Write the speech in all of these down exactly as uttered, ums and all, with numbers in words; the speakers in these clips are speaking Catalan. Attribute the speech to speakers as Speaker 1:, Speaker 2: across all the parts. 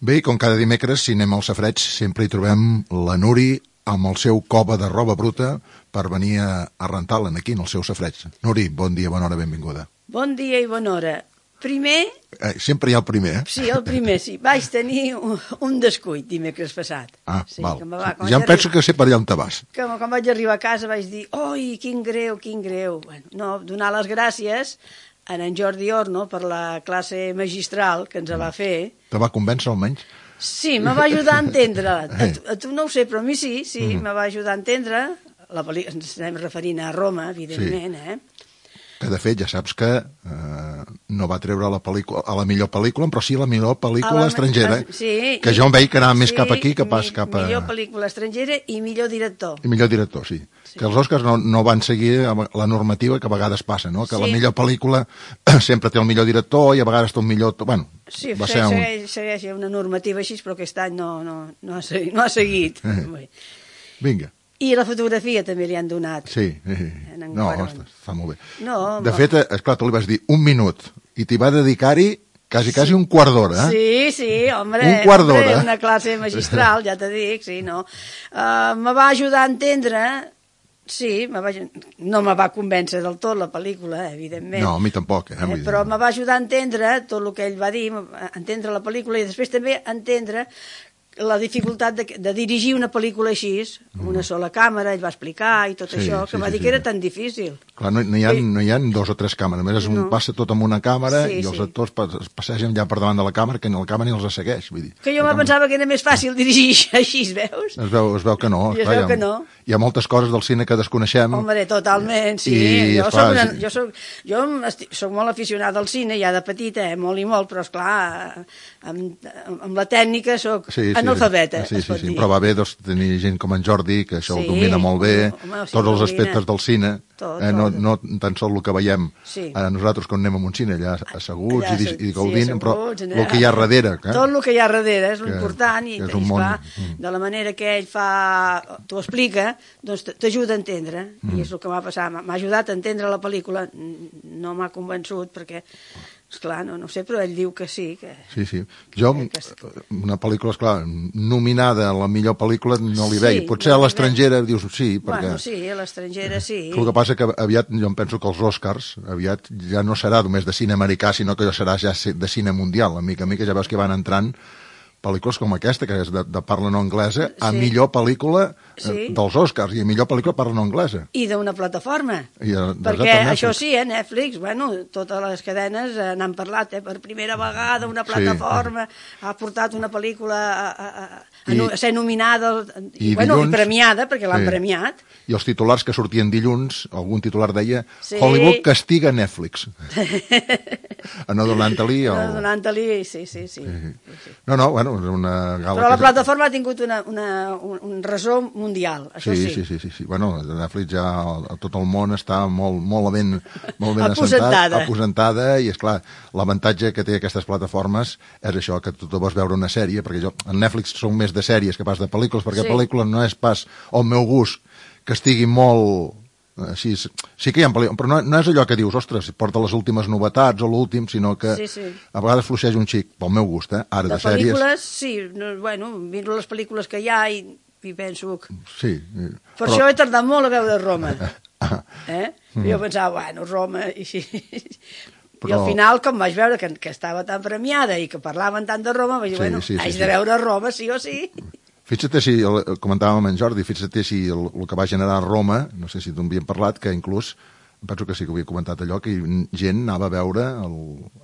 Speaker 1: Bé, com cada dimecres, si anem al Safareig, sempre hi trobem la Nuri amb el seu cova de roba bruta per venir a, a rentar-la aquí, en el seu Safareig. Nuri, bon dia, bona hora, benvinguda.
Speaker 2: Bon dia i bona hora. Primer...
Speaker 1: Eh, sempre hi ha el primer, eh?
Speaker 2: Sí, el primer, sí. Vaig tenir un, un descuit dimecres passat.
Speaker 1: Ah,
Speaker 2: sí,
Speaker 1: val.
Speaker 2: Que va,
Speaker 1: ja em penso que sé per allà on te vas.
Speaker 2: Que quan vaig arribar a casa vaig dir, oi, quin greu, quin greu. Bueno, no, donar les gràcies a en Jordi Orno per la classe magistral que ens va fer.
Speaker 1: Te va convèncer almenys?
Speaker 2: Sí, me va ajudar a entendre. A tu, a tu no ho sé, però a mi sí, sí, mm. me va ajudar a entendre. La pel·li... Ens estem referint a Roma, evidentment, sí. eh?
Speaker 1: Que de fet ja saps que eh, no va treure la pel·lícula, a la millor pel·lícula, però sí la millor pel·lícula la... estrangera,
Speaker 2: sí,
Speaker 1: que jo em veig que anava més
Speaker 2: sí,
Speaker 1: cap aquí que pas
Speaker 2: mi,
Speaker 1: cap a...
Speaker 2: Millor pel·lícula estrangera i millor director.
Speaker 1: I millor director, sí. sí. Que els Oscars no, no van seguir la normativa que a vegades passa, no? Que sí. La millor pel·lícula sempre té el millor director i a vegades té un millor... Bueno,
Speaker 2: sí,
Speaker 1: va ser un...
Speaker 2: segueix, segueix una normativa així, però aquest any no, no, no, ha, seguit, no ha seguit.
Speaker 1: Eh. Vinga.
Speaker 2: I la fotografia també li han donat.
Speaker 1: Sí, sí. No, està, està molt bé.
Speaker 2: No,
Speaker 1: de fet, esclar, tu li vas dir un minut i t'hi va dedicar-hi quasi, sí. quasi un quart d'hora. Eh?
Speaker 2: Sí, sí, home,
Speaker 1: un quart d'hora.
Speaker 2: Una classe magistral, ja te dic, sí, no. Uh, me va ajudar a entendre, sí, me va, no me va convèncer del tot la pel·lícula, evidentment.
Speaker 1: No, a mi tampoc. Eh?
Speaker 2: Eh, però me va ajudar a entendre tot el que ell va dir, a entendre la pel·lícula i després també a entendre la dificultat de, de dirigir una pel·lícula així, amb una sola càmera, ell va explicar i tot sí, això, que sí, va sí, dir sí. que era tan difícil.
Speaker 1: Clar, no, no, hi ha, no hi ha dos o tres càmeres, a més no. passa tot amb una càmera sí, i els sí. actors es passegen ja per davant de la càmera, que ni la càmera ni els segueix. Vull dir,
Speaker 2: que jo me pensava que era més fàcil dirigir així, es veus?
Speaker 1: Es veu, es veu que no.
Speaker 2: I es
Speaker 1: clar,
Speaker 2: veu
Speaker 1: hi ha,
Speaker 2: que no.
Speaker 1: Hi ha moltes coses del cine que desconeixem.
Speaker 2: Home, totalment, sí.
Speaker 1: I,
Speaker 2: jo,
Speaker 1: esclar,
Speaker 2: soc una,
Speaker 1: sí.
Speaker 2: jo, soc, jo estic, soc molt aficionada al cine, ja de petita, eh, molt i molt, però esclar, amb, amb la tècnica soc sí, sí, analfabeta.
Speaker 1: Sí, sí, sí, però va bé doncs, tenir gent com en Jordi, que això sí, ho domina molt bé, home, sí, tots els aspectes del cine, tot, eh, no, no tan sols el que veiem sí. a nosaltres quan anem a un cine, allà asseguts allà, i, i gaudint, sí, però allà, el que hi ha darrere. Eh?
Speaker 2: Tot el que hi ha darrere és l'important, i, i esclar, món... de la manera que ell fa, t'ho explica, doncs t'ajuda a entendre, mm. i és el que m'ha passat, m'ha ajudat a entendre la pel·lícula, no m'ha convençut, perquè... Esclar, no, no sé, però ell diu que sí. Que,
Speaker 1: sí, sí. Jo, que, una pel·lícula, esclar, nominada a la millor pel·lícula no li veia. Sí, potser no a l'estrangera dius sí, perquè...
Speaker 2: Bueno, sí, a l'estrangera sí.
Speaker 1: El que passa que aviat, jo em penso que els Oscars, aviat ja no serà només de cine americà, sinó que ja serà ja de cine mundial. A mica a mica ja veus que van entrant pel·lícules com aquesta, que és de, de parla no anglesa, a sí. millor pel·lícula sí. dels Oscars, i a millor pel·lícula parla no anglesa.
Speaker 2: I d'una plataforma.
Speaker 1: I a,
Speaker 2: perquè això sí, eh, Netflix, bueno, totes les cadenes eh, n'han parlat, eh, per primera vegada una plataforma sí. ha portat una pel·lícula a, a, a, I, a ser nominada i, i, bueno, dilluns, i premiada, perquè l'han sí. premiat.
Speaker 1: I els titulars que sortien dilluns, algun titular deia sí. Hollywood castiga Netflix. A no donant-li... El...
Speaker 2: No donant-li, sí, sí, sí. sí.
Speaker 1: No, no, bueno, una gala...
Speaker 2: Però la
Speaker 1: que...
Speaker 2: plataforma ha tingut una, una, un, un resó mundial, això
Speaker 1: sí. Sí, sí, sí, sí. Bueno, Netflix ja a tot el món està molt, molt ben, molt ben assentat, aposentada, i esclar, l'avantatge que té aquestes plataformes és això, que tu vols veure una sèrie, perquè jo, en Netflix som més de sèries que pas de pel·lícules, perquè sí. pel·lícula no és pas el meu gust que estigui molt... Així, sí que hi ha pel·lícules, però no, no és allò que dius, ostres, porta les últimes novetats o l'últim, sinó que sí, sí. a vegades fluixeix un xic, pel meu gust, eh? Ara de, de sèries...
Speaker 2: De pel·lícules, sí, no, bueno, miro les pel·lícules que hi ha i, i penso...
Speaker 1: Sí.
Speaker 2: Per però... això he tardat molt a veure Roma. Eh? Mm. Jo pensava, bueno, Roma... I, però... I al final, com vaig veure que, que estava tan premiada i que parlaven tant de Roma, vaig dir, sí, bueno, sí, sí, haig sí. de veure Roma sí o sí.
Speaker 1: Fixa't si, comentàvem amb en Jordi, fixa't si el, el que va generar Roma, no sé si t'ho havíem parlat, que inclús, penso que sí que ho havia comentat allò, que gent anava a veure el,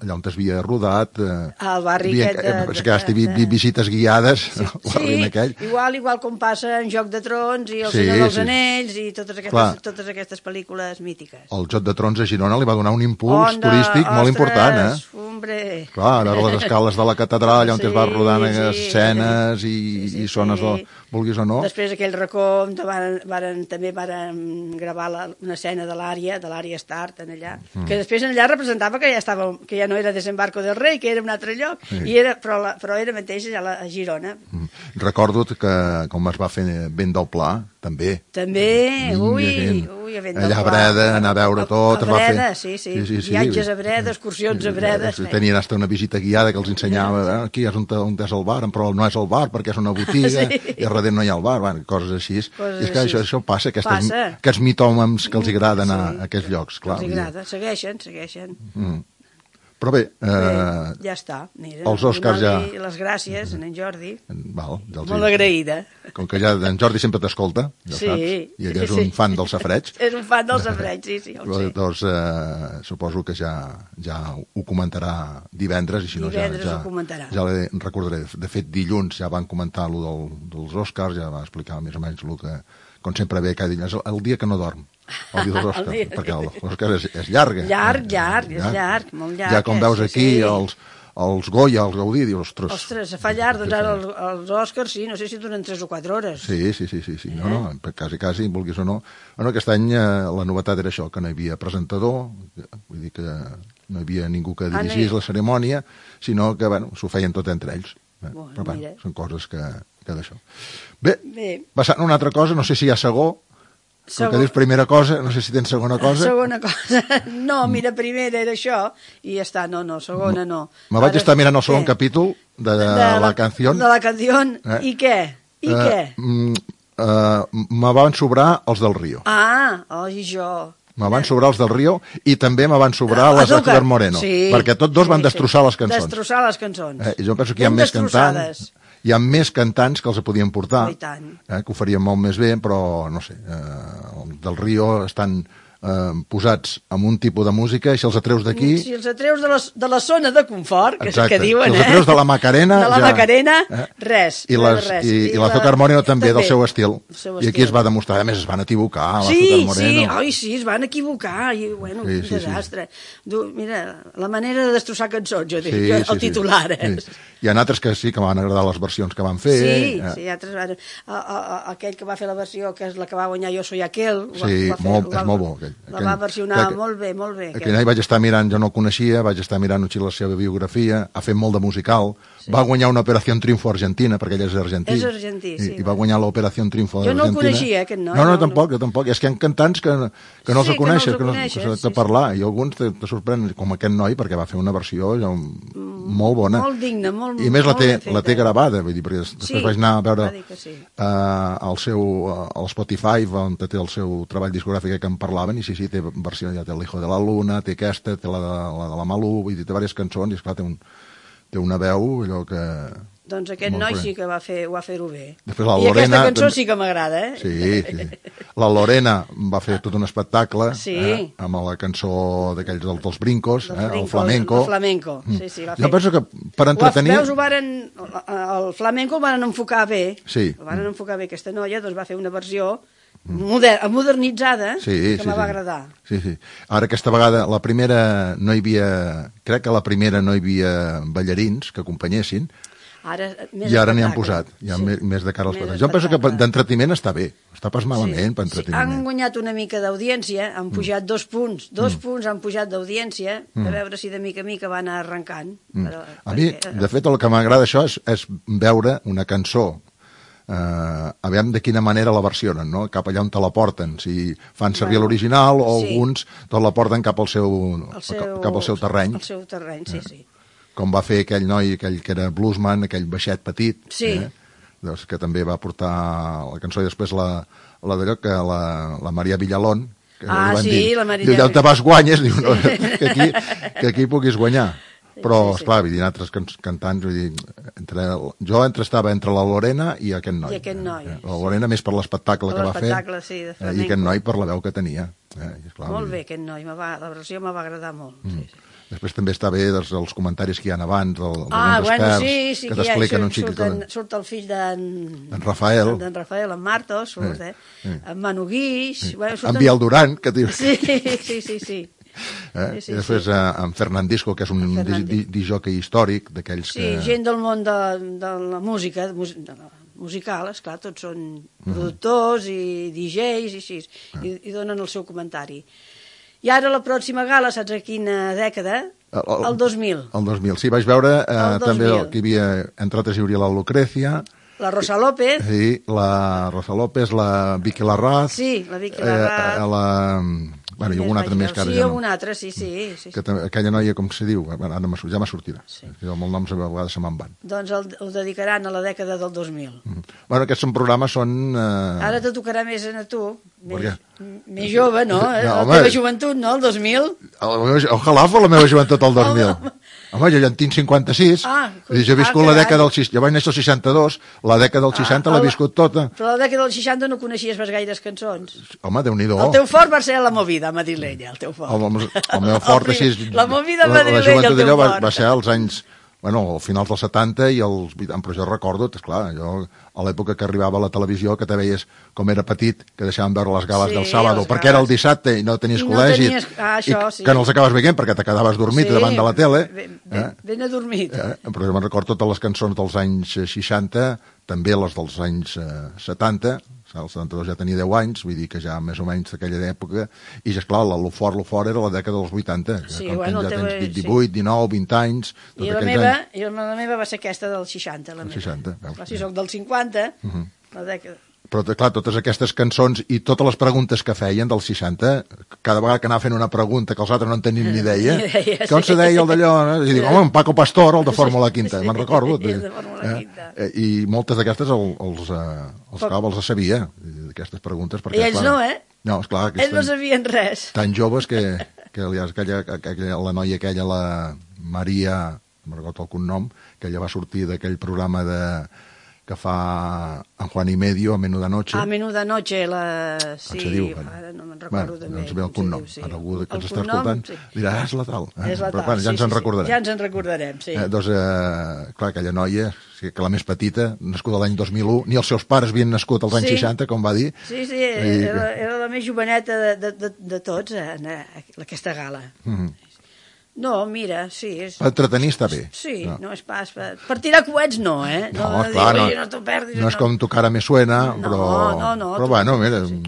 Speaker 1: allà on es havia rodat. Eh,
Speaker 2: el barri
Speaker 1: havia,
Speaker 2: aquest de...
Speaker 1: Eh, que has de, de, visites guiades, sí, el barri
Speaker 2: sí,
Speaker 1: aquell.
Speaker 2: igual, igual com passa en Joc de Trons i El sí, Senyor dels sí. Anells i totes aquestes, totes aquestes pel·lícules mítiques.
Speaker 1: El Joc de Trons a Girona li va donar un impuls Onda, turístic
Speaker 2: ostres,
Speaker 1: molt important, eh?
Speaker 2: Hombre.
Speaker 1: Clar, a veure les escales de la catedral, allà on sí, es va rodant sí, escenes i, sí, sí, i zones, sí. de, vulguis o no.
Speaker 2: Després aquell racó varen, varen, també varen gravar la, una escena de l'àrea, de l'àrea Start, allà, mm. que després allà representava que ja, estava, que ja no era Desembarco del Rei, que era un altre lloc, sí. I era, però, la, però era mateix a, la, a Girona.
Speaker 1: Mm. Recordo que com es va fer Vent del Pla, també.
Speaker 2: També, ui, ui.
Speaker 1: allà a Breda, anar a veure tot.
Speaker 2: A Breda, sí, sí, viatges a Breda, excursions a Breda.
Speaker 1: Tenien hasta una visita guiada que els ensenyava, aquí és on és el bar, però no és el bar perquè és una botiga, i a darrere no hi ha el bar, coses així. I és que això passa, aquests mitòmems que els agrada anar a aquests llocs, clar.
Speaker 2: Els agrada, segueixen, segueixen.
Speaker 1: Però bé...
Speaker 2: Eh, ja està. Mira,
Speaker 1: els Oscars ja...
Speaker 2: Les gràcies a en Jordi.
Speaker 1: Val, ja
Speaker 2: molt agraïda.
Speaker 1: Com que ja en Jordi sempre t'escolta, ja
Speaker 2: sí,
Speaker 1: saps, i ell és un sí. fan del safareig.
Speaker 2: És un fan del safareig, sí, sí, ho sé.
Speaker 1: Doncs eh, suposo que ja, ja ho comentarà divendres, i si no
Speaker 2: divendres
Speaker 1: ja,
Speaker 2: ho comentarà.
Speaker 1: ja li recordaré. De fet, dilluns ja van comentar allò del, dels Oscars, ja va explicar més o menys el que, com sempre ve cada dia, és el dia que no dorm. El dia dels Oscars, dia... perquè l'Oscar és, és llarga.
Speaker 2: Llarg, llarg, és llarg, molt llarg.
Speaker 1: Ja com veus aquí sí. els, els Goya, els Gaudí, dius, ostres...
Speaker 2: Ostres, fa llarg, doncs ara els, els Oscars, sí, no sé si duren tres o quatre hores.
Speaker 1: Sí, sí, sí, sí, sí. No, no, quasi, quasi, vulguis o no. Bueno, aquest any eh, la novetat era això, que no hi havia presentador, vull dir que no hi havia ningú que dirigís ah, no hi... la cerimònia, sinó que, bueno, s'ho feien tot entre ells. Eh? Bueno, però, bueno, són coses que, que d'això. Bé, Bé, passant a una altra cosa, no sé si hi ha segó, com que dius primera cosa, no sé si tens segona cosa.
Speaker 2: Segona cosa. No, mira, primera era això, i ja està, no, no, segona no.
Speaker 1: Me vaig Ara, estar mirant el segon què? capítol de, de, de la canció.
Speaker 2: De la canció, eh? I què? I uh, què?
Speaker 1: Uh, me van sobrar els del Río.
Speaker 2: Ah, oi, jo...
Speaker 1: Me van sobrar els del Río i també me van sobrar les d'Azúcar Moreno, sí, perquè tots dos sí, van destrossar les cançons.
Speaker 2: Destrossar les cançons.
Speaker 1: Eh, I jo penso que hi ha més cantants, hi ha més cantants que els podien portar, eh, que ho farien molt més bé, però no sé, eh, els del Río estan eh, posats en un tipus de música, i si els atreus d'aquí...
Speaker 2: Si els atreus de la, de la zona de confort, que exacte, és el que diuen,
Speaker 1: si els atreus
Speaker 2: eh?
Speaker 1: de la Macarena...
Speaker 2: De la
Speaker 1: ja,
Speaker 2: Macarena, eh? res.
Speaker 1: I, les,
Speaker 2: res.
Speaker 1: I, i, i l'Azúcar Moreno també, també, del seu estil. Seu I aquí estil. Es va demostrar, a més es van equivocar,
Speaker 2: sí,
Speaker 1: l'Azúcar Moreno.
Speaker 2: Sí, oi, sí, es van equivocar, i bueno, sí, un sí, desastre. Sí. Du, mira, la manera de destrossar cançons, jo dic, sí, jo, el sí, titular, sí. eh? Sí.
Speaker 1: Hi ha altres que sí, que m'han agradat les versions que van fer.
Speaker 2: Sí,
Speaker 1: eh?
Speaker 2: sí, altres van... A, a, a, aquell que va fer la versió, que és la que va guanyar Jo soy aquel...
Speaker 1: Sí,
Speaker 2: va, va fer,
Speaker 1: molt,
Speaker 2: va,
Speaker 1: és molt bo. Aquell,
Speaker 2: la va versionar que, molt bé, molt bé.
Speaker 1: Aquell any vaig estar mirant, jo no el coneixia, vaig estar mirant la seva biografia, ha fet molt de musical, sí. Va guanyar una Operació Triunfo Argentina, perquè ell és argentí.
Speaker 2: És argentí, sí.
Speaker 1: I, i va guanyar l'Operació Triunfo
Speaker 2: Argentina. Jo no
Speaker 1: el
Speaker 2: coneixia, aquest noi.
Speaker 1: No, no, no tampoc, no. jo tampoc. És que hi ha cantants que, que no
Speaker 2: sí,
Speaker 1: els coneixes, que no
Speaker 2: els
Speaker 1: coneixes, que no s'ha de parlar, sí. I alguns te, te sorprenen, com aquest noi, perquè va fer una versió ja, molt bona.
Speaker 2: Molt digna, molt,
Speaker 1: I més la té,
Speaker 2: molt
Speaker 1: la té gravada, vull dir, perquè després sí, vaig anar a veure
Speaker 2: sí.
Speaker 1: uh, el seu, uh, el Spotify, on té el seu treball discogràfic que en parlaven, i sí, sí, té versió, ja té l'Hijo de la Luna, té aquesta, té la de la, de la Malú, vull dir, té diverses cançons, i esclar, té, un, té una veu, allò que...
Speaker 2: Doncs aquest noi sí que va fer, ho va fer-ho bé.
Speaker 1: Després la
Speaker 2: I
Speaker 1: Lorena,
Speaker 2: aquesta cançó sí que m'agrada, eh?
Speaker 1: Sí, sí. La Lorena va fer tot un espectacle,
Speaker 2: sí.
Speaker 1: eh, amb la cançó d'aquells dels, dels brincos,
Speaker 2: dels
Speaker 1: eh,
Speaker 2: brincos,
Speaker 1: el flamenco.
Speaker 2: El flamenco, sí, sí, va fer.
Speaker 1: Jo penso que per entretenir...
Speaker 2: Veus, ho varen, el flamenco el van enfocar bé,
Speaker 1: sí.
Speaker 2: El van enfocar bé aquesta noia, doncs va fer una versió moder, modernitzada,
Speaker 1: sí,
Speaker 2: que
Speaker 1: sí,
Speaker 2: me va
Speaker 1: sí.
Speaker 2: agradar.
Speaker 1: Sí, sí. Ara aquesta vegada, la primera no hi havia... Crec que la primera no hi havia ballarins que acompanyessin,
Speaker 2: Ara,
Speaker 1: i ara n'hi han posat, hi ha sí. més, més de cara als espectacles. Jo penso que d'entreteniment està bé, està pas malament sí. per entreteniment.
Speaker 2: Sí. Han guanyat una mica d'audiència, han pujat mm. dos punts, dos mm. punts han pujat d'audiència, mm. a veure si de mica a mica van anar arrencant.
Speaker 1: Mm.
Speaker 2: Però,
Speaker 1: a mi, perquè... de fet, el que m'agrada això és, és veure una cançó, eh, aviam de quina manera la versionen, no? Cap allà on te la porten, si fan servir bueno, l'original o sí. alguns tot la porten cap al seu, el seu, cap al seu terreny.
Speaker 2: Al seu terreny, sí, sí.
Speaker 1: Com va fer aquell noi, aquell que era bluesman, aquell baixet petit,
Speaker 2: sí.
Speaker 1: eh? doncs, que també va portar la cançó, i després la, la d'allò que la, la Maria Villalón, que
Speaker 2: ah, sí,
Speaker 1: dir,
Speaker 2: la Maria...
Speaker 1: diu, allà on te vas guanyes, diu, no, que, aquí, que aquí puguis guanyar. Però, sí, sí. esclar, vull dir, altres can cantants, vull dir, entre, jo entre, estava entre la Lorena i aquest noi.
Speaker 2: I aquest noi.
Speaker 1: La Lorena més per l'espectacle que va fer,
Speaker 2: sí, de
Speaker 1: eh, i aquest noi per la veu que tenia. Eh, i esclar,
Speaker 2: molt bé, aquest noi, va, la versió me va agradar molt, mm. sí, sí.
Speaker 1: Després també està bé dels, els comentaris que hi ha abans, el,
Speaker 2: ah, bueno,
Speaker 1: experts,
Speaker 2: sí, sí,
Speaker 1: que t'expliquen un xic...
Speaker 2: Surten, surt el fill d'en...
Speaker 1: En Rafael.
Speaker 2: D'en Rafael, en Martos, surt, eh? eh? En Manu Guix...
Speaker 1: Sí.
Speaker 2: Bueno, surten...
Speaker 1: En Biel Duran, que dius...
Speaker 2: Sí, sí, sí, sí.
Speaker 1: Eh? Sí, sí, I després sí. eh, en Fernandisco, que és un disjockey històric, d'aquells
Speaker 2: sí,
Speaker 1: que...
Speaker 2: Sí, gent del món de, de la música, de, de la musical, esclar, tots són mm-hmm. productors i D Js i així, ah. i, i donen el seu comentari. I ara la pròxima gala, saps a quina dècada? El, el, el dos mil.
Speaker 1: El dos mil, sí, vaig veure eh, també el, que hi havia, entre altres hi hauria la Lucrecia,
Speaker 2: La Rosa López.
Speaker 1: Sí, la Rosa López, la Vicky Larraz.
Speaker 2: Sí, la Vicky Larraz.
Speaker 1: Eh, la... Bueno, i algun altre més que ara
Speaker 2: sí,
Speaker 1: ja no.
Speaker 2: Sí, algun altre, sí, sí. sí,
Speaker 1: que també, aquella noia, com se diu? Bueno, ja m'ha sortirà. Sí. Jo amb el nom a vegades se me'n van.
Speaker 2: Doncs el, el dedicaran a la dècada del dos mil. Mm.
Speaker 1: Bueno, aquests són programes, són... Eh...
Speaker 2: Ara te tocarà més a tu, més, més jove, no? no la home, teva joventut, no? El dos mil.
Speaker 1: Ojalà fos la meva joventut el dos mil. Home, jo ja en tinc cinquanta-sis, ah, jo he viscut ah, la dècada del seixanta, jo vaig néixer el seixanta-dos, la dècada del seixanta ah, l'he viscut tota.
Speaker 2: Però la dècada del seixanta no coneixies pas gaires cançons.
Speaker 1: Home, Déu-n'hi-do.
Speaker 2: El teu fort va ser la movida madrilenya, el teu fort.
Speaker 1: El, el, el meu fort, així...
Speaker 2: La movida madrilenya, el teu fort.
Speaker 1: Va, va ser als anys... Bueno, al final dels setanta i als vuitanta, però jo recordo, esclar, jo a l'època que arribava a la televisió, que te veies com era petit, que deixaven veure les gales sí, del sábado, perquè gales. Era el dissabte i no tenies I col·legi, no tenies... Ah, això, i sí. que no els acabes veient perquè te quedaves dormit sí, davant de la tele.
Speaker 2: Ben, ben, eh? ben adormit.
Speaker 1: Eh? Però jo me'n recordo totes les cançons dels anys seixanta, també les dels anys eh, setanta, el setanta-dos ja tenia deu anys, vull dir que ja més o menys d'aquella època, i ja, esclar, el fort, el fort era la dècada dels vuitanta,
Speaker 2: sí,
Speaker 1: com
Speaker 2: bueno,
Speaker 1: ja
Speaker 2: tens
Speaker 1: tens divuit, dinou, vint anys...
Speaker 2: I la meva, i la meva va ser aquesta del seixanta, la meva.
Speaker 1: seixanta,
Speaker 2: clar, si soc del cinquanta, uh -huh. la dècada...
Speaker 1: Però, clar, totes aquestes cançons i totes les preguntes que feien del seixanta, cada vegada que anava fent una pregunta que els altres no en tenien ni idea, ni idea que on sí. se deia el d'allò, no? I dic, home, en Paco Pastor, el de Fórmula Quinta, sí, me'n recordo.
Speaker 2: Sí, el de Fórmula Quinta.
Speaker 1: Eh? I moltes d'aquestes el, els, eh, els, clar, els sabia, aquestes preguntes. Perquè,
Speaker 2: I ells
Speaker 1: clar,
Speaker 2: no, eh?
Speaker 1: No, esclar.
Speaker 2: Ells no sabien res.
Speaker 1: Tan joves que, que aquella, aquella, la noia aquella, la Maria, no me'n recordo el cognom, que ella va sortir d'aquell programa de... que fa en Juan y Medio, a Menuda Noche.
Speaker 2: A Menuda Noche, la... sí,
Speaker 1: se diu,
Speaker 2: ara no me'n recordo
Speaker 1: bueno,
Speaker 2: també.
Speaker 1: No sé bé el cognom, sí. Ara algú que ens està escoltant sí. dirà, ah, és la tal.
Speaker 2: És la tal,
Speaker 1: Però, bueno, ja
Speaker 2: sí,
Speaker 1: ens en
Speaker 2: sí,
Speaker 1: recordarem.
Speaker 2: Ja ens en recordarem, sí.
Speaker 1: Eh, doncs, eh, clar, aquella noia, que la més petita, nascuda l'any dos mil u, ni els seus pares havien nascut als anys sí. seixanta, com va dir.
Speaker 2: Sí, sí, I... era, era la més joveneta de, de, de, de tots, eh, aquesta gala. Mm -hmm. No, mira, sí. És...
Speaker 1: Per entretenir està bé.
Speaker 2: Sí, no, no és pas... Per, per tirar coets no, eh?
Speaker 1: No, no clar, dir, no, no t'ho perdis. No és com Tu cara me suena,
Speaker 2: no,
Speaker 1: però...
Speaker 2: No, no,
Speaker 1: però bueno, mira...
Speaker 2: Sí.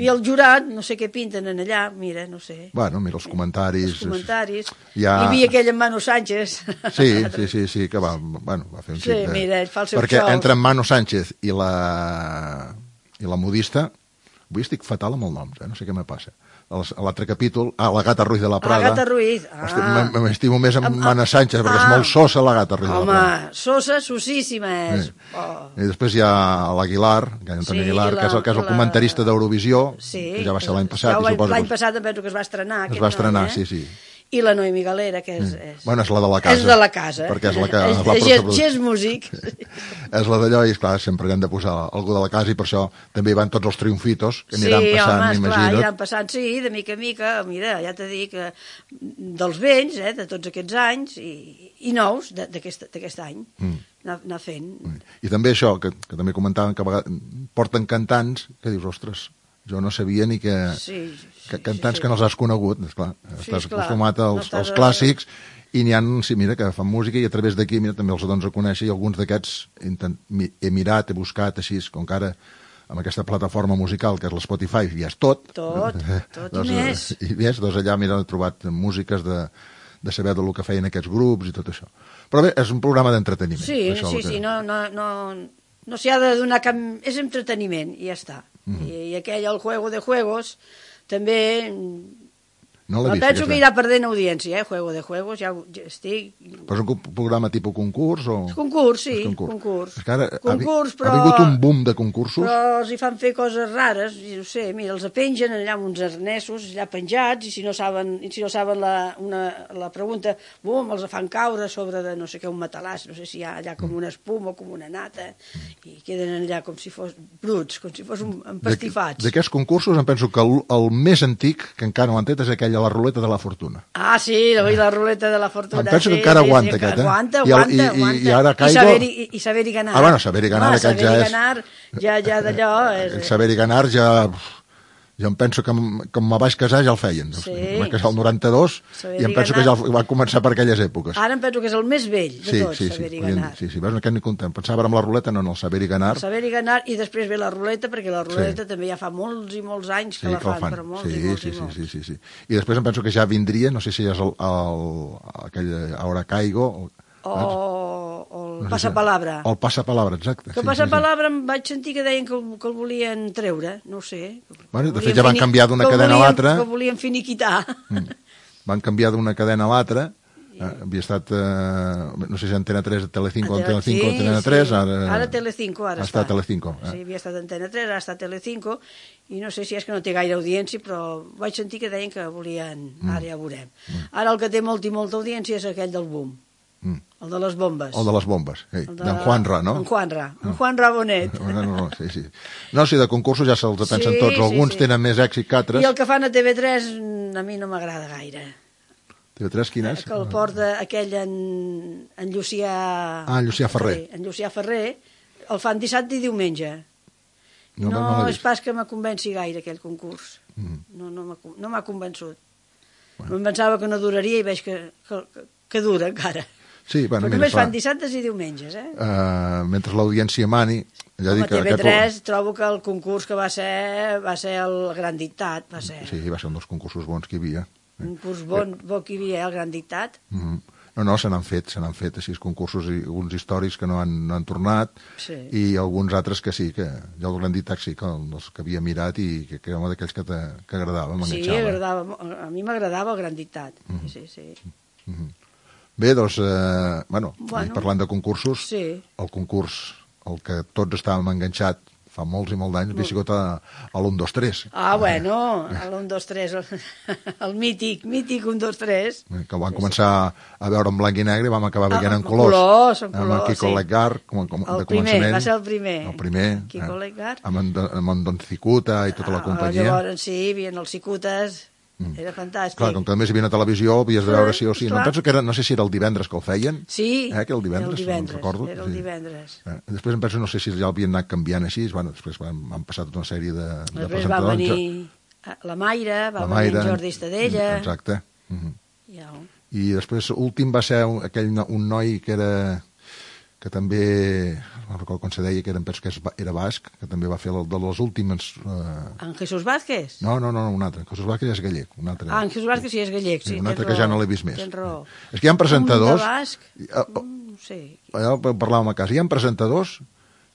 Speaker 2: I el jurat, no sé què pinten en allà, mira, no sé.
Speaker 1: Bueno, mira, els comentaris...
Speaker 2: Els comentaris.
Speaker 1: Ja...
Speaker 2: Hi havia aquell en Manu Sánchez.
Speaker 1: Sí, sí, sí, sí, que va, bueno, va fer un
Speaker 2: sí, xic de... mira, ell fa el seu
Speaker 1: Perquè
Speaker 2: xous.
Speaker 1: entre en Manu Sánchez i la... i la modista... Avui estic fatal amb el nom, eh? No sé què me passa. A l'altre capítol, ah, la Gata Ruiz de la Prada.
Speaker 2: La Gata Ruiz, ah.
Speaker 1: M'estimo més amb Mana Sánchez, perquè ah. és molt sosa la Gata Ruiz
Speaker 2: Home,
Speaker 1: de la Prada.
Speaker 2: Home, sosa, sosíssima és.
Speaker 1: Sí. Oh. I després hi ha l'Aguilar, que, sí, Aguilar, la, que és el, que és el la... comentarista d'Eurovisió,
Speaker 2: sí,
Speaker 1: que ja va ser l'any passat.
Speaker 2: Ja l'any passat penso que es va estrenar.
Speaker 1: Es va estrenar,
Speaker 2: noi, eh?
Speaker 1: sí, sí.
Speaker 2: I la Noemi Galera, que és, és...
Speaker 1: Bueno, és la de la casa.
Speaker 2: És de la casa.
Speaker 1: Perquè és la que...
Speaker 2: És, és, és, és músic.
Speaker 1: És la d'allò, i esclar, sempre hem de posar algú de la casa, i per això també hi van tots els triomfitos, que aniran
Speaker 2: sí,
Speaker 1: passant,
Speaker 2: home,
Speaker 1: imagina't.
Speaker 2: Sí, home, aniran passant, sí, de mica a mica, mira, ja t'he dit que dels vells, eh, de tots aquests anys, i, i nous d'aquest any, mm. anar, anar fent.
Speaker 1: Mm. I també això, que, que també comentaven, que a vegades porten cantants, que dius, ostres, jo no sabia ni que...
Speaker 2: Sí,
Speaker 1: que cantants sí, sí. que no els has conegut, esclar,
Speaker 2: sí,
Speaker 1: estàs
Speaker 2: esclar.
Speaker 1: acostumat als, no als clàssics, i n'hi ha, sí, mira, que fan música, i a través d'aquí, mira, també els dones a conèixer, i alguns d'aquests he mirat, he buscat, així, com que ara, amb aquesta plataforma musical, que és l'Spotify, ja és tot.
Speaker 2: Tot, tot
Speaker 1: doncs,
Speaker 2: i més.
Speaker 1: I més, doncs allà, mira, he trobat músiques de, de saber del que feien aquests grups i tot això. Però bé, és un programa d'entreteniment.
Speaker 2: Sí,
Speaker 1: això
Speaker 2: sí,
Speaker 1: que...
Speaker 2: sí, no, no, no, no s'hi ha de donar cap... És entreteniment, i ja està. Mm -hmm. I, I aquell, el Juego de Juegos, també...
Speaker 1: No l'he vist.
Speaker 2: Penso que irà perdent audiència, eh? Juego de Juegos, ja, ja estic...
Speaker 1: Però és un programa tipus concurs o...?
Speaker 2: És concurs, sí, és concurs. concurs.
Speaker 1: És que ara
Speaker 2: concurs,
Speaker 1: ha,
Speaker 2: però...
Speaker 1: ha vingut un boom de concursos.
Speaker 2: Però els hi fan fer coses rares, i no sé, mira, els pengen allà amb uns arnesos, allà penjats, i si no saben, i si no saben la, una, la pregunta, bum, els fan caure sobre de no sé què, un matalàs, no sé si hi ha allà com una espuma o com una nata, i queden allà com si fos bruts, com si fos un empastifats.
Speaker 1: D'aquests concursos em penso que el, el més antic, que encara no l'han tret, és aquell a la ruleta de la fortuna.
Speaker 2: Ah, sí, la, la ruleta de la fortuna.
Speaker 1: Em penso
Speaker 2: sí,
Speaker 1: que encara
Speaker 2: sí,
Speaker 1: aguanta
Speaker 2: sí,
Speaker 1: aquest, eh?
Speaker 2: Aguanta,
Speaker 1: I, el,
Speaker 2: aguanta,
Speaker 1: i,
Speaker 2: aguanta.
Speaker 1: I, i ara caigo...
Speaker 2: I saber-hi i saber ganar.
Speaker 1: Ah, bueno, saber-hi ganar, ah, aquest ja és...
Speaker 2: Ganar, ja, ja d'allò... És...
Speaker 1: El saber-hi ganar ja... Jo em penso que com me vaig casar ja el feien.
Speaker 2: Sí.
Speaker 1: Em vaig casar el noranta-dos i em penso que ja va començar per aquelles èpoques.
Speaker 2: Ara em penso que és el més vell de
Speaker 1: sí,
Speaker 2: tots,
Speaker 1: sí,
Speaker 2: saber-hi
Speaker 1: sí,
Speaker 2: ganar.
Speaker 1: Sí, sí, veus, aquest ni comptem. Pensava amb la ruleta, no, no, el saber-hi ganar.
Speaker 2: El saber-hi ganar, i després ve la ruleta, perquè la ruleta sí. també ja fa molts i molts anys que sí, la fan, fan, però molts
Speaker 1: sí,
Speaker 2: i molts
Speaker 1: sí,
Speaker 2: i molts.
Speaker 1: Sí, sí, sí, sí. I després em penso que ja vindria, no sé si és el, el, aquell Ahora Caigo...
Speaker 2: O, o el passapalabra.
Speaker 1: El passapalabra, exacte.
Speaker 2: Que el passapalabra em vaig sentir que deien que el, que el volien treure, no ho sé.
Speaker 1: Bueno, de fet ja van canviar d'una cadena a l'altra.
Speaker 2: Que el volien finiquitar.
Speaker 1: Mm. Van canviar d'una cadena a l'altra. Eh, havia estat, eh, no sé si Antena tres, Telecinco, Antena cinco,
Speaker 2: sí,
Speaker 1: Antena tres,
Speaker 2: sí.
Speaker 1: ara...
Speaker 2: Ara Telecinco, ara està.
Speaker 1: Està Telecinco. Eh?
Speaker 2: Sí, havia estat Antena tres, ara està Telecinco, i no sé si és que no té gaire audiència, però vaig sentir que deien que volien... Mm. Ara ja veurem. Mm. Ara el que té molta i molta audiència és aquell del boom. Mm. El de les bombes.
Speaker 1: El de les bombes, sí.
Speaker 2: De...
Speaker 1: d'en Juanra, no?
Speaker 2: En Juanra, en Juanra Bonet.
Speaker 1: No, no, no, sí, sí. No, sí, de concursos ja se'ls pensen sí, tots. Alguns sí, sí. tenen més èxit que altres.
Speaker 2: I el que fan a T V tres a mi no m'agrada gaire.
Speaker 1: T V tres quin és?
Speaker 2: Que el porta aquell en, en Llucià...
Speaker 1: Ah, en Llucià Ferrer.
Speaker 2: En Llucià Ferrer. El fan dissabte i diumenge. No, no, no és pas que me convenci gaire aquell concurs. Mm. No, no m'ha no m'ha convençut. Bueno. Em pensava que no duraria i veig que, que, que dura encara. Sí, bueno, però només fan dissabtes i diumenges, eh?
Speaker 1: Uh, mentre l'audiència mani... Ja dic
Speaker 2: que T V tres aquest... trobo que el concurs que va ser va ser el Gran Dictat. Va ser...
Speaker 1: Sí, va ser un dels concursos bons que hi havia.
Speaker 2: Un curs bon, bo que hi havia, eh, el Gran Dictat.
Speaker 1: Mm -hmm. No, no, se n'han fet, se n'han fet així concursos, i alguns històrics que no han, no han tornat, sí. I alguns altres que sí, que jo el Gran Dictat sí, que els que havia mirat i que, que era un d'aquells que, que agradava, m'enganxava.
Speaker 2: Sí, agradava, a mi m'agradava el Gran Dictat, mm -hmm. sí, sí.
Speaker 1: Mm -hmm. Bé, doncs, eh, bueno, bueno, parlant de concursos, sí. El concurs, el que tots estàvem enganxat fa molts i molts d'anys, havia sigut a, a l'u dos tres.
Speaker 2: Ah, bueno, a l'u dos tres, el, el mític, mític un dos tres.
Speaker 1: Que van començar a veure en blanc i negre i vam acabar veient
Speaker 2: ah,
Speaker 1: en colors.
Speaker 2: colors, en colors,
Speaker 1: amb el Kiko
Speaker 2: sí.
Speaker 1: Leggar, com, com,
Speaker 2: el
Speaker 1: de
Speaker 2: primer,
Speaker 1: començament.
Speaker 2: va ser el primer.
Speaker 1: El primer.
Speaker 2: Kiko eh, Leggar.
Speaker 1: Amb en, amb en Don Cicuta i tota la companyia.
Speaker 2: Ah, llavors, sí, hi havia els Cicutes... Mm. Era fantàstic.
Speaker 1: Clar, com que només hi havia una televisió, havies de veure sí o sí. No, penso que era, no sé si era el divendres que el feien.
Speaker 2: Sí,
Speaker 1: eh, que el divendres,
Speaker 2: el divendres,
Speaker 1: no recordo.
Speaker 2: era el sí. divendres.
Speaker 1: Eh, després em penso, no sé si ja l'havien anat canviant així, bueno, després van, van passar tota una sèrie de, de
Speaker 2: després va venir la Mayra, va la Mayra, venir en Jordi Estadella.
Speaker 1: Exacte. Uh -huh.
Speaker 2: ja.
Speaker 1: I després, últim va ser un, aquell, un noi que era... que també, no recordo com se deia, que era, penso que era basc, que també va fer el, de les últimes... Eh...
Speaker 2: En Jesús Vázquez?
Speaker 1: No, no, no, un altre. En Jesús Vázquez ja és gallec. Un altre.
Speaker 2: Ah, en Jesús Vázquez sí és gallec, sí.
Speaker 1: sí un altre
Speaker 2: raó,
Speaker 1: que ja no l'he vist més.
Speaker 2: Tens raó.
Speaker 1: És que hi ha presentadors...
Speaker 2: Un de basc? Uh, no sé.
Speaker 1: Ja parlàvem a casa. Hi ha presentadors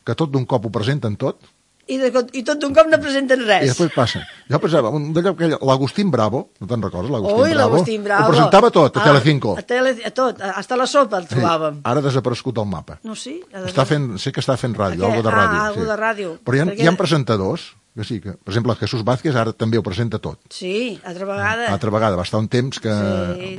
Speaker 1: que tot d'un cop ho presenten tot.
Speaker 2: I, de, i tot d'un cop no presenten res.
Speaker 1: I després passa. Jo pensava, l'Agustín Bravo, no te'n recordes, l'Agustín
Speaker 2: Ui,
Speaker 1: Bravo?
Speaker 2: Bravo?
Speaker 1: Ho presentava tot, a, a Telecinco.
Speaker 2: A, tele, a tot, hasta la sopa el trobàvem.
Speaker 1: Sí, ara ha desaparegut el mapa.
Speaker 2: No, sí.
Speaker 1: Està fent, sé que està fent ràdio, algo de ràdio.
Speaker 2: Ah, algo
Speaker 1: sí.
Speaker 2: de ràdio.
Speaker 1: Però hi ha, Perquè... hi ha presentadors que sí, que, per exemple, Jesús Vázquez ara també ho presenta tot.
Speaker 2: Sí, altra vegada.
Speaker 1: Altra vegada, va estar un temps que... Sí.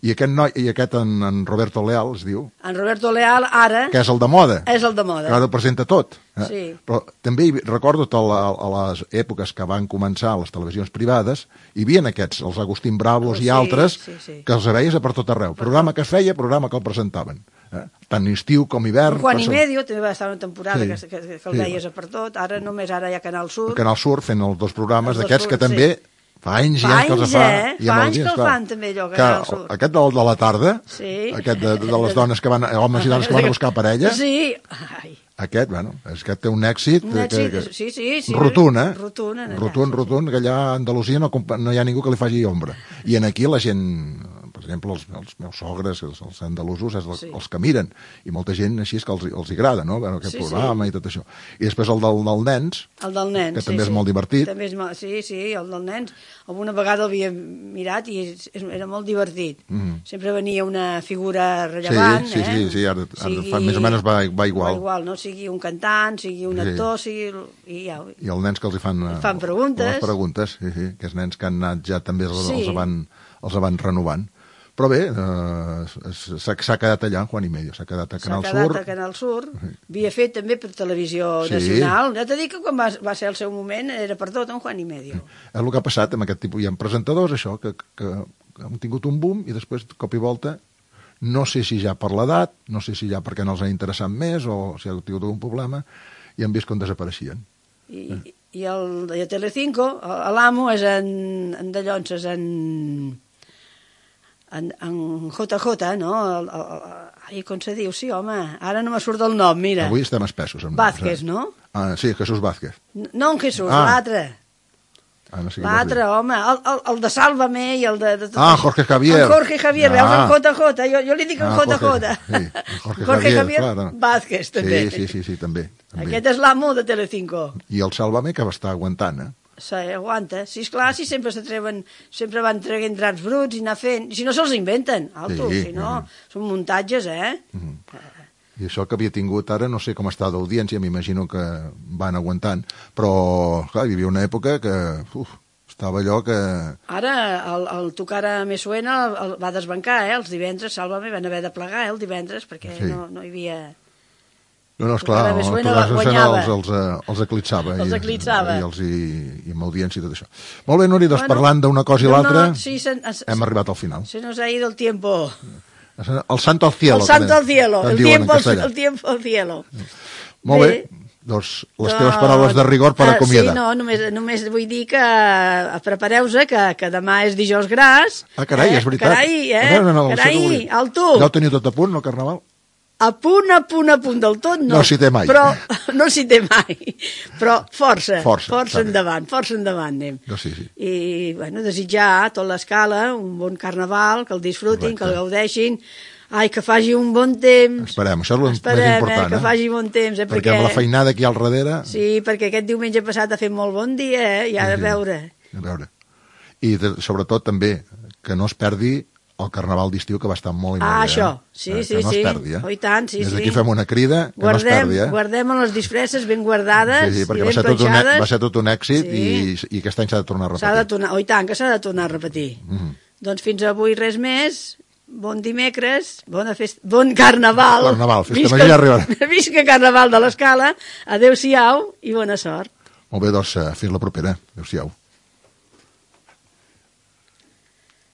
Speaker 1: I aquest noi, i aquest en, en Roberto Leal, es diu...
Speaker 2: En Roberto Leal, ara...
Speaker 1: Que és el de moda.
Speaker 2: És el de moda.
Speaker 1: Que ara ho presenta tot. Eh?
Speaker 2: Sí.
Speaker 1: Però també recordo a, la, a les èpoques que van començar les televisions privades, hi havia aquests, els Agustín Bravos
Speaker 2: sí,
Speaker 1: i altres,
Speaker 2: sí, sí.
Speaker 1: que els veies a per tot arreu. Programa que es feia, programa que el presentaven. Eh? Tant estiu com hivern.
Speaker 2: Juan i Medio també va estar una temporada sí, que, que, que el sí. veies a per tot. Ara només ara hi ha Canal Sur.
Speaker 1: El Canal Sur fent els dos programes d'aquests que també... Sí. Fa anys
Speaker 2: ja
Speaker 1: que els fa.
Speaker 2: Eh? Fa anys que el fan, també, allò, que Canal Sur.
Speaker 1: Aquest de, de la tarda,
Speaker 2: sí.
Speaker 1: aquest de, de les dones que van, homes i dones que van a buscar parella,
Speaker 2: sí. Ai.
Speaker 1: Aquest, bueno, és que té un èxit,
Speaker 2: un èxit
Speaker 1: que,
Speaker 2: que, sí, sí, sí.
Speaker 1: rotund, eh?
Speaker 2: Rotund, allà,
Speaker 1: rotund,
Speaker 2: sí,
Speaker 1: rotund, que allà a Andalusia no, no hi ha ningú que li faci ombra. I en aquí la gent... Per exemple, els, els meus sogres, els, els andalusos, és el, sí. els que miren. I molta gent així és que els, els agrada, no? Veure aquest sí, programa sí. I tot això. I després el del, del nens,
Speaker 2: el del nens,
Speaker 1: que
Speaker 2: sí,
Speaker 1: també
Speaker 2: sí.
Speaker 1: és molt divertit.
Speaker 2: També és, sí, sí, el del nens. Alguna vegada l'havia mirat i és, era molt divertit. Mm -hmm. Sempre venia una figura rellevant,
Speaker 1: sí, sí,
Speaker 2: eh?
Speaker 1: Sí, sí, ara, ara sigui, fa, més o menys va, va igual.
Speaker 2: Va igual, no? Sigui un cantant, sigui un actor, sí. sigui... I, ja,
Speaker 1: I els nens que els hi fan...
Speaker 2: Els fan preguntes.
Speaker 1: Les preguntes, sí, sí. Aquests nens que han anat ja també els,
Speaker 2: sí.
Speaker 1: els, van, els van renovant. Però bé, eh, s'ha quedat allà, Juan i Medio, s'ha quedat a Canal Sur.
Speaker 2: S'ha quedat a Canal Sur, havia fet també per televisió sí. nacional. Ja t'he dit que quan va, va ser el seu moment era per tot, en Juan i Medio.
Speaker 1: És el que ha passat amb aquest tipus. Hi ha presentadors, això, que, que, que han tingut un boom i després, cop i volta, no sé si ja per l'edat, no sé si ja perquè no els ha interessat més o si ha tingut algun problema, i han vist com desapareixien.
Speaker 2: I, eh. i, el, i a Telecinco, l'amo és en, en de Llonses, en... En, en J J, no? El, el, el, ai, com se diu? Sí, home, ara no me surt el nom, mira.
Speaker 1: Avui estem espessos. Amb
Speaker 2: Vázquez, no?
Speaker 1: Ah, sí, Jesús Vázquez.
Speaker 2: No en Jesús, ah. l'altre.
Speaker 1: Ah, no sé
Speaker 2: L'altre, home, el, el, el de Sálvame i el de... de
Speaker 1: ah, Jorge Javier.
Speaker 2: El Jorge Javier, ah. veus, en J J, jo, jo li dic en
Speaker 1: ah,
Speaker 2: J J.
Speaker 1: Sí, el Jorge,
Speaker 2: Jorge
Speaker 1: Javier,
Speaker 2: Javier
Speaker 1: clar, no.
Speaker 2: Vázquez, també.
Speaker 1: Sí, sí, sí, sí també, també.
Speaker 2: Aquest és l'amo de Telecinco.
Speaker 1: I el Sálvame que va estar aguantant, eh?
Speaker 2: Sí, aguanta. Sí, esclar, si sempre s'atreven, sempre van traient draps bruts i anar fent... Si no se'ls inventen, alto, sí, si no, mm. són muntatges, eh? Mm.
Speaker 1: I això que havia tingut ara, no sé com està d'audiència, m'imagino que van aguantant, però, clar, hi havia una època que... Uf, estava allò que...
Speaker 2: Ara, el, el Tocar a Me Suena el, el va desbancar, eh? Els divendres, Sálvame, van haver de plegar, eh? El divendres, perquè sí. no, no hi havia...
Speaker 1: No, no, esclar, el Tocar a Me Suena els, els, els eclipsava.
Speaker 2: Els eclipsava.
Speaker 1: I, i, els, i, i amb audiència i tot això. Molt bé, Núria, doncs bueno, parlant d'una cosa i no, l'altra, no, sí, sen, es, hem arribat al final.
Speaker 2: Se nos ha ido el tiempo.
Speaker 1: El santo al cielo.
Speaker 2: El santo al cielo, el tiempo, el tiempo al cielo.
Speaker 1: Molt bé. bé. Doncs les no, teves paraules de rigor per
Speaker 2: uh,
Speaker 1: acomiadar.
Speaker 2: Sí, no, només, només vull dir que uh, prepareu-vos, que, que demà és dijous gras.
Speaker 1: Ah, carai, eh? És veritat.
Speaker 2: Carai, eh?
Speaker 1: No, no, no,
Speaker 2: carai, alto.
Speaker 1: Ja ho teniu tot a punt, el Carnaval?
Speaker 2: A punt, a punt, a punt del tot, no.
Speaker 1: No s'hi té mai.
Speaker 2: Però, no s'hi té mai. Però força, força, força endavant, força endavant anem.
Speaker 1: No, sí, sí.
Speaker 2: I, bueno, desitjar a tota l'escala un bon Carnaval, que el disfrutin, correcte, que el gaudeixin. Ai, que faci un bon temps.
Speaker 1: Esperem, això és el
Speaker 2: Esperem,
Speaker 1: més important.
Speaker 2: Eh, que
Speaker 1: eh?
Speaker 2: faci bon temps. Eh,
Speaker 1: perquè, perquè amb la feinada aquí al darrere...
Speaker 2: Sí, perquè aquest diumenge passat ha fet molt bon dia, eh? I ara sí, a veure.
Speaker 1: A veure. I de, sobretot també que no es perdi el Carnaval d'estiu, que va estar molt i molt
Speaker 2: ah,
Speaker 1: bé.
Speaker 2: això, sí,
Speaker 1: eh?
Speaker 2: sí,
Speaker 1: que no
Speaker 2: sí.
Speaker 1: Es perdi, eh?
Speaker 2: Oh, i tant, sí,
Speaker 1: Des
Speaker 2: sí.
Speaker 1: d'aquí fem una crida, que
Speaker 2: guardem,
Speaker 1: no es perdi, eh?
Speaker 2: Guardem les disfresses ben guardades
Speaker 1: sí, sí, perquè
Speaker 2: i ben
Speaker 1: va ser, tot un, va ser tot un èxit
Speaker 2: sí.
Speaker 1: i, i aquest any s'ha de tornar a repetir.
Speaker 2: S'ha de tornar, oh, i tant, que s'ha de tornar a repetir. Mm -hmm. Doncs fins avui res més. Bon dimecres, bona festa, bon Carnaval.
Speaker 1: Carnaval, festa major ja arribarà.
Speaker 2: Visca Carnaval de l'Escala. Adéu-siau i bona sort.
Speaker 1: Molt bé, doncs, fins la propera. Adéu-siau.